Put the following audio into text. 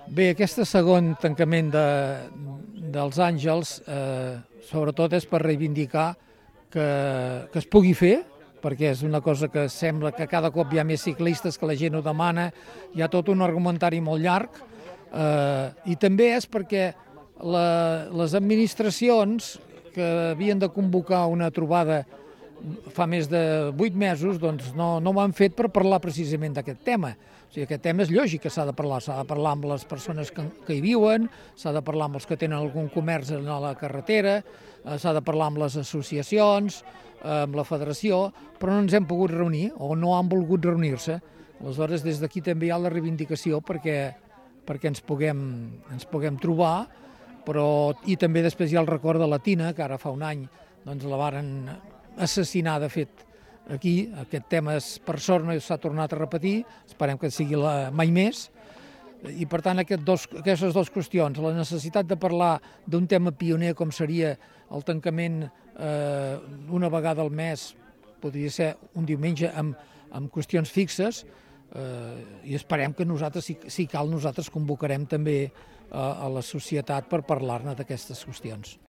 Bé, aquest segon tancament dels Àngels sobretot és per reivindicar que es pugui fer, perquè és una cosa que sembla que cada cop hi ha més ciclistes, que la gent ho demana, hi ha tot un argumentari molt llarg, i també és perquè les administracions que havien de convocar una trobada fa més de 8 mesos, doncs no ho han fet per parlar precisament d'aquest tema. O sigui, aquest tema és lògic que s'ha de parlar amb les persones que hi viuen, s'ha de parlar amb els que tenen algun comerç a la carretera, s'ha de parlar amb les associacions, amb la federació, però no ens hem pogut reunir o no han volgut reunir-se. Aleshores, des d'aquí també hi ha la reivindicació perquè ens puguem trobar, i també després hi ha el record de la Tina, que ara fa un any doncs la varen assassinar, de fet, aquí. Aquest tema, per sort, no s'ha tornat a repetir, esperem que sigui mai més, i per tant aquestes dues qüestions, la necessitat de parlar d'un tema pioner com seria el tancament una vegada al mes, podria ser un diumenge amb qüestions fixes, i esperem que nosaltres, si cal, nosaltres convocarem també a la societat per parlar-ne d'aquestes qüestions.